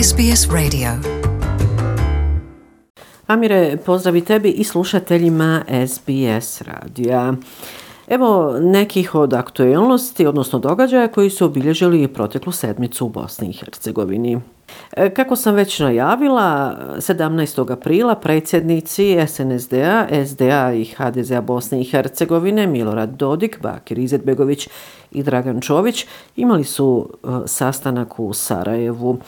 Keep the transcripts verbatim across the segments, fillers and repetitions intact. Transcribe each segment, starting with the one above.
S B S Radio. Amire, pozdrav i tebi i slušateljima S B S radija. Evo nekih od aktualnosti, odnosno događaja koji su obilježili proteklu sedmicu u Bosni i Hercegovini. Kako sam već najavila, sedamnaestog aprila predsjednici S N S D-a, S D A i H D Z-a Bosne i Hercegovine Milorad Dodik, Bakir Izetbegović i Dragan Čović imali su sastanak u Sarajevu.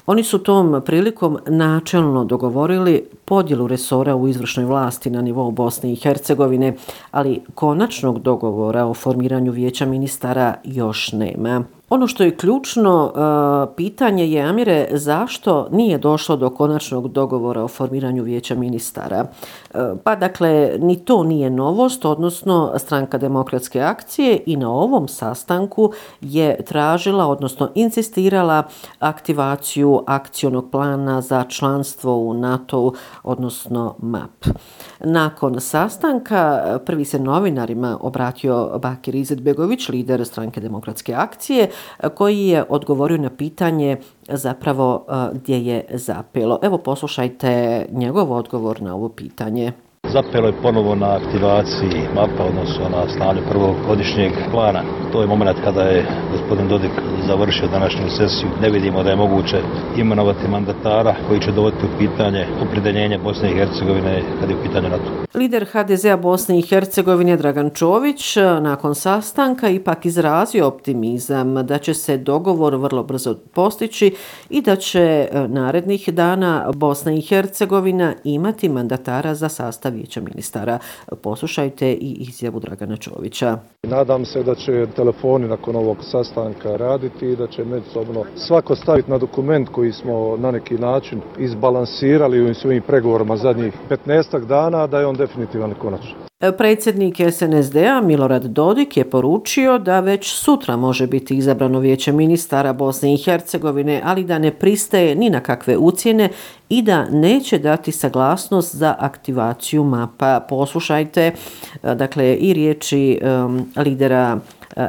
Oni su tom prilikom načelno dogovorili podjelu resora u izvršnoj vlasti na nivou Bosne i Hercegovine, ali konačnog dogovora o formiranju vijeća ministara još nema. Ono što je ključno uh, pitanje je, Amire, zašto nije došlo do konačnog dogovora o formiranju vijeća ministara? Uh, pa dakle, ni to nije novost, odnosno Stranka demokratske akcije i na ovom sastanku je tražila, odnosno insistirala aktivaciju akcionog plana za članstvo u NATO-u, odnosno M A P. Nakon sastanka prvi se novinarima obratio Bakir Izetbegović, lider Stranke demokratske akcije, koji je odgovorio na pitanje zapravo gdje je zapelo. Evo poslušajte njegov odgovor na ovo pitanje. Zapelo je ponovo na aktivaciji M A P-a, odnosno na stanju prvog godišnjeg plana. To je moment kada je gospodin Dodik završio današnju sesiju. Ne vidimo da je moguće imenovati mandatara koji će dovoditi u pitanje opredjeljenje Bosne i Hercegovine kad je u pitanju NATO. Lider H D Z-a Bosne i Hercegovine Dragan Čović nakon sastanka ipak izrazio optimizam da će se dogovor vrlo brzo postići i da će narednih dana Bosna i Hercegovina imati mandatara za sastav vijeća ministara. Poslušajte i izjavu Dragana Čovića. Nadam se da će telefoni nakon ovog sastanka raditi i da će međusobno svako staviti na dokument koji smo na neki način izbalansirali u svojim pregovorima zadnjih petnaestak dana, da je on definitivan i konačan. Predsjednik S N S D-a Milorad Dodik je poručio da već sutra može biti izabrano vijeće ministara Bosne i Hercegovine, ali da ne pristaje ni na kakve ucjene i da neće dati saglasnost za aktivaciju M A P-a. Poslušajte dakle i riječi um, lidera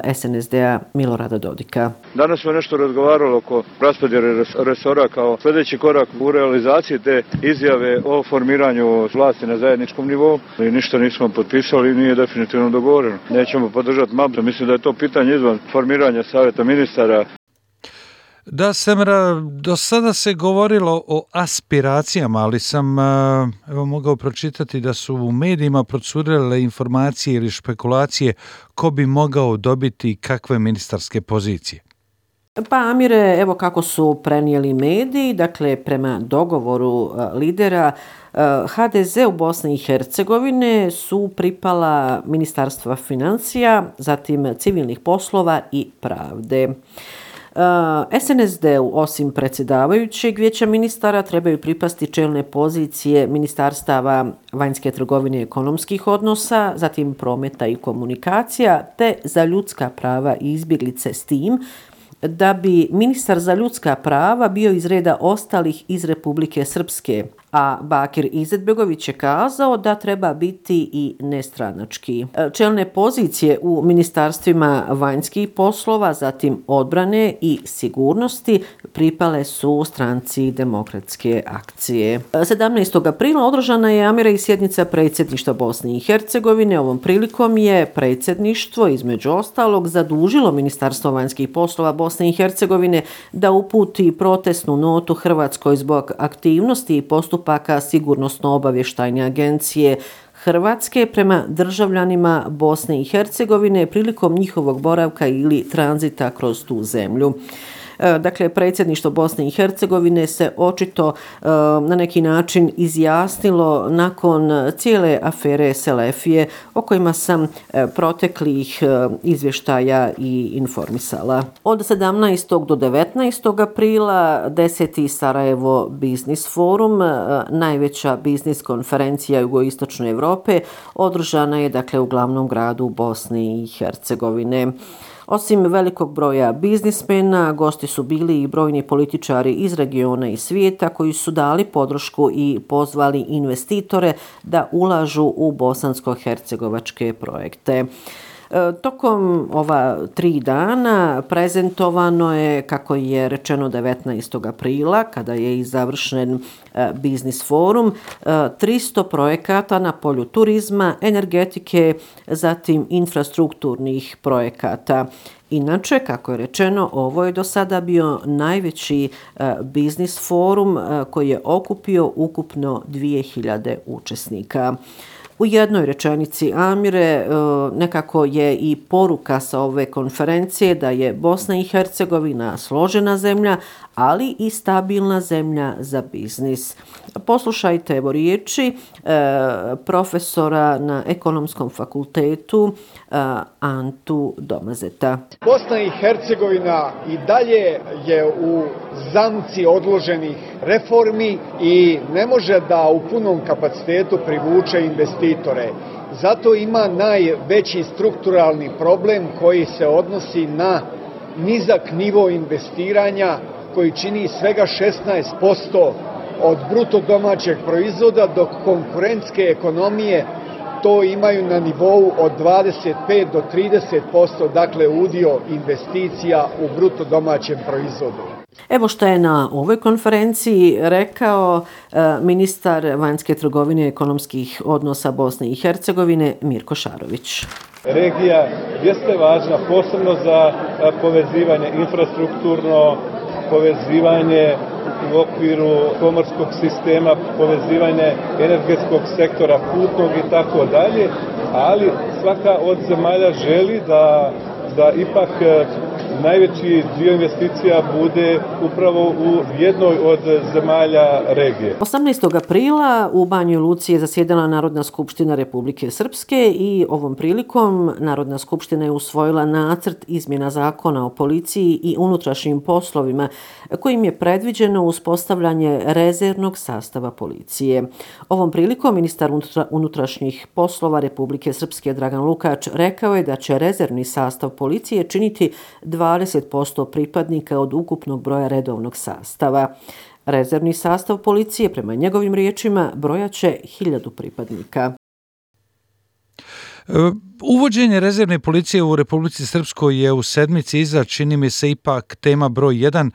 S N S D-a Milorada Dodika. Danas smo nešto razgovarali oko raspodjele resora kao sljedeći korak u realizaciji te izjave o formiranju vlasti na zajedničkom nivou. I ništa nismo potpisali i nije definitivno dogovoreno. Nećemo podržati M A P. Mislim da je to pitanje izvan formiranja savjeta ministara. Da, Semra, do sada se govorilo o aspiracijama, ali sam evo, mogao pročitati da su u medijima procurile informacije ili špekulacije ko bi mogao dobiti kakve ministarske pozicije. Pa Amire, evo kako su prenijeli mediji, dakle prema dogovoru lidera H D Z u Bosni i Hercegovine su pripala ministarstva financija, zatim civilnih poslova i pravde. S N S D-u osim predsjedavajućeg vijeća ministara trebaju pripasti čelne pozicije ministarstava vanjske trgovine i ekonomskih odnosa, zatim prometa i komunikacija, te za ljudska prava i izbjeglice, s tim da bi ministar za ljudska prava bio iz reda ostalih iz Republike Srpske, a Bakir Izetbegović je kazao da treba biti i nestranački. Čelne pozicije u ministarstvima vanjskih poslova, zatim odbrane i sigurnosti pripale su Stranci demokratske akcije. sedamnaestog aprila održana je, Amire, i sjednica predsjedništva Bosne i Hercegovine. Ovom prilikom je predsjedništvo između ostalog zadužilo Ministarstvo vanjskih poslova Bosne i Hercegovine da uputi protestnu notu Hrvatskoj zbog aktivnosti i postupaka sigurnosno-obavještajne agencije Hrvatske prema državljanima Bosne i Hercegovine prilikom njihovog boravka ili tranzita kroz tu zemlju. Dakle, predsjedništvo Bosne i Hercegovine se očito na neki način izjasnilo nakon cijele afere Selefije o kojima sam proteklih izvještaja i informisala. Od sedamnaestog do devetnaestog aprila deseti Sarajevo Biznis Forum, najveća biznis konferencija jugoistočne Europe, održana je dakle u glavnom gradu Bosne i Hercegovine. Osim velikog broja biznismena, gosti su bili i brojni političari iz regiona i svijeta koji su dali podršku i pozvali investitore da ulažu u bosansko-hercegovačke projekte. Tokom ova tri dana prezentovano je, kako je rečeno devetnaestog aprila, kada je i završen biznis forum, tristo projekata na polju turizma, energetike, zatim infrastrukturnih projekata. Inače, kako je rečeno, ovo je do sada bio najveći biznis forum koji je okupio ukupno dvije hiljade učesnika. U jednoj rečenici, Amire, nekako je i poruka sa ove konferencije da je Bosna i Hercegovina složena zemlja, ali i stabilna zemlja za biznis. Poslušajte evo riječi profesora na Ekonomskom fakultetu Antu Domazeta. Bosna i Hercegovina i dalje je u zamci odloženih reformi i ne može da u punom kapacitetu privuče investitore. Zato ima najveći strukturalni problem koji se odnosi na nizak nivo investiranja koji čini svega šesnaest posto od bruto domaćeg proizvoda, dok konkurentske ekonomije to imaju na nivou od dvadeset pet do trideset posto, dakle udio investicija u bruto domaćem proizvodu. Evo što je na ovoj konferenciji rekao ministar vanjske trgovine i ekonomskih odnosa Bosne i Hercegovine Mirko Šarović. Regija jeste važna posebno za povezivanje infrastrukturno, povezivanje u okviru pomorskog sistema, povezivanje energetskog sektora, putnog i tako dalje, ali svaka od zemalja želi da, da ipak najveći dio investicija bude upravo u jednoj od zemalja regije. osamnaestog aprila u Banjoj Luci je zasjedala Narodna skupština Republike Srpske i ovom prilikom Narodna skupština je usvojila nacrt izmjena zakona o policiji i unutrašnjim poslovima kojim je predviđeno uspostavljanje rezervnog sastava policije. Ovom prilikom ministar unutrašnjih poslova Republike Srpske Dragan Lukač rekao je da će rezervni sastav policije činiti dvadeset posto pripadnika od ukupnog broja redovnog sastava. Rezervni sastav policije, prema njegovim riječima, brojaće hiljadu pripadnika. Uvođenje rezervne policije u Republici Srpskoj je u sedmici iza, čini mi se, ipak tema broj jedan,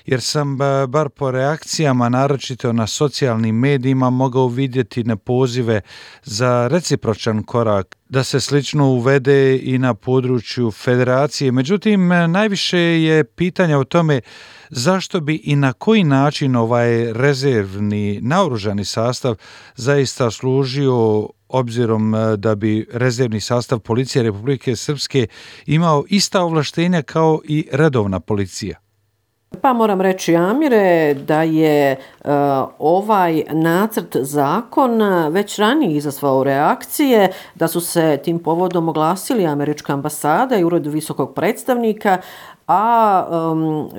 jer sam bar po reakcijama, naročito na socijalnim medijima, mogao vidjeti na pozive za recipročan korak da se slično uvede i na području federacije. Međutim, najviše je pitanja o tome zašto bi i na koji način ovaj rezervni naoružani sastav zaista služio, obzirom da bi rezervni sastav policije Republike Srpske imao ista ovlaštenja kao i redovna policija. Pa moram reći, Amire, da je uh, ovaj nacrt zakona već ranije izazvao reakcije, da su se tim povodom oglasili američka ambasada i ured visokog predstavnika, a um,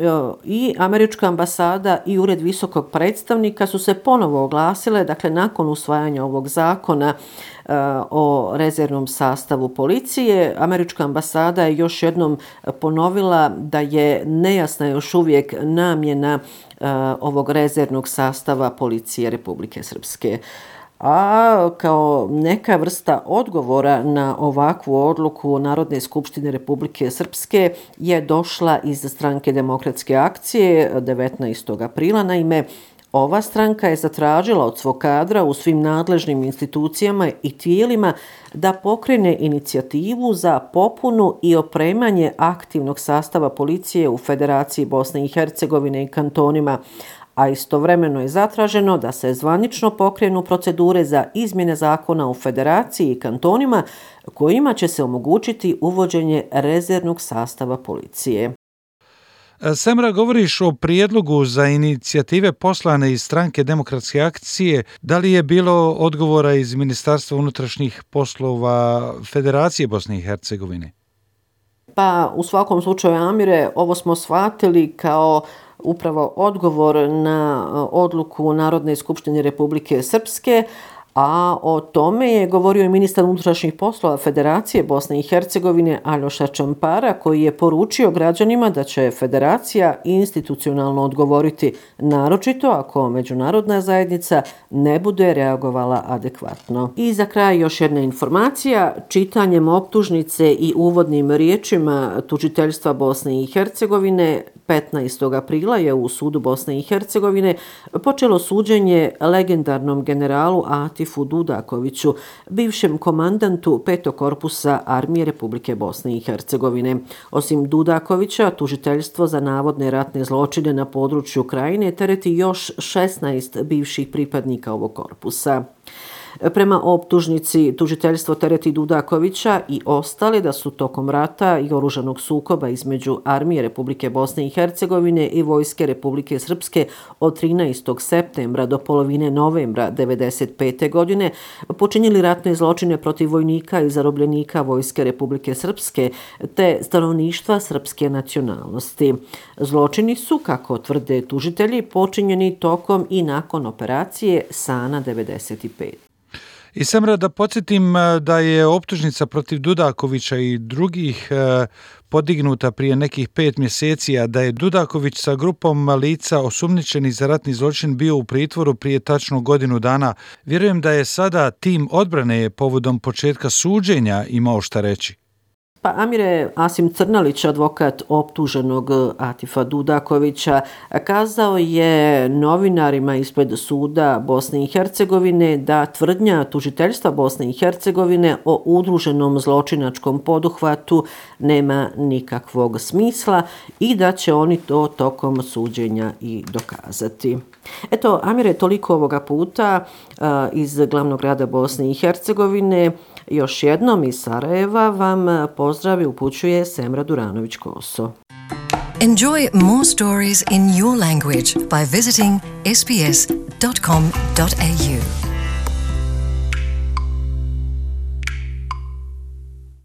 i američka ambasada i ured visokog predstavnika su se ponovo oglasile, dakle nakon usvajanja ovog zakona uh, o rezervnom sastavu policije. Američka ambasada je još jednom ponovila da je nejasna još uvijek namjena uh, ovog rezervnog sastava policije Republike Srpske. A kao neka vrsta odgovora na ovakvu odluku Narodne skupštine Republike Srpske je došla iz stranke Demokratske akcije devetnaestog aprila. Naime, ova stranka je zatražila od svog kadra u svim nadležnim institucijama i tijelima da pokrene inicijativu za popunu i opremanje aktivnog sastava policije u Federaciji Bosne i Hercegovine i kantonima, a istovremeno je zatraženo da se zvanično pokrenu procedure za izmjene zakona u Federaciji i kantonima kojima će se omogućiti uvođenje rezervnog sastava policije. Semra, govoriš o prijedlogu za inicijative poslane iz stranke Demokratske akcije. Da li je bilo odgovora iz Ministarstva unutrašnjih poslova Federacije Bosne i Hercegovine? Pa u svakom slučaju, Amire, ovo smo shvatili kao upravo odgovor na odluku Narodne skupštine Republike Srpske, a o tome je govorio i ministar unutrašnjih poslova Federacije Bosne i Hercegovine Aljoša Čampara, koji je poručio građanima da će Federacija institucionalno odgovoriti, naročito ako međunarodna zajednica ne bude reagovala adekvatno. I za kraj još jedna informacija. Čitanjem optužnice i uvodnim riječima tužiteljstva Bosne i Hercegovine petnaestog aprila je u sudu Bosne i Hercegovine počelo suđenje legendarnom generalu Atifu Dudakoviću, bivšem komandantu petog korpusa Armije Republike Bosne i Hercegovine. Osim Dudakovića, tužiteljstvo za navodne ratne zločine na području Krajine tereti još šesnaest bivših pripadnika ovog korpusa. Prema optužnici, tužiteljstvo tereti Dudakovića i ostali da su tokom rata i oružanog sukoba između Armije Republike Bosne i Hercegovine i Vojske Republike Srpske od trinaestog septembra do polovine novembra devedeset pete. godine počinili ratne zločine protiv vojnika i zarobljenika Vojske Republike Srpske te stanovništva srpske nacionalnosti. Zločini su, kako tvrde tužitelji, počinjeni tokom i nakon operacije Sana devedeset pet. I Semra, da podsjetim da je optužnica protiv Dudakovića i drugih podignuta prije nekih pet mjeseci, a da je Dudaković sa grupom lica osumnjičenih za ratni zločin bio u pritvoru prije tačno godinu dana. Vjerujem da je sada tim odbrane povodom početka suđenja imao šta reći. Pa Amire, Asim Crnalić, advokat optuženog Atifa Dudakovića, kazao je novinarima ispred suda Bosne i Hercegovine da tvrdnja tužiteljstva Bosne i Hercegovine o udruženom zločinačkom poduhvatu nema nikakvog smisla i da će oni to tokom suđenja i dokazati. Eto, Amire, toliko ovoga puta a, iz glavnog grada Bosne i Hercegovine. Još jednom iz Sarajeva vam pozdrav i upućuje Semra Duranović-Koso. Enjoy more stories in your language by visiting s b s dot com dot a u.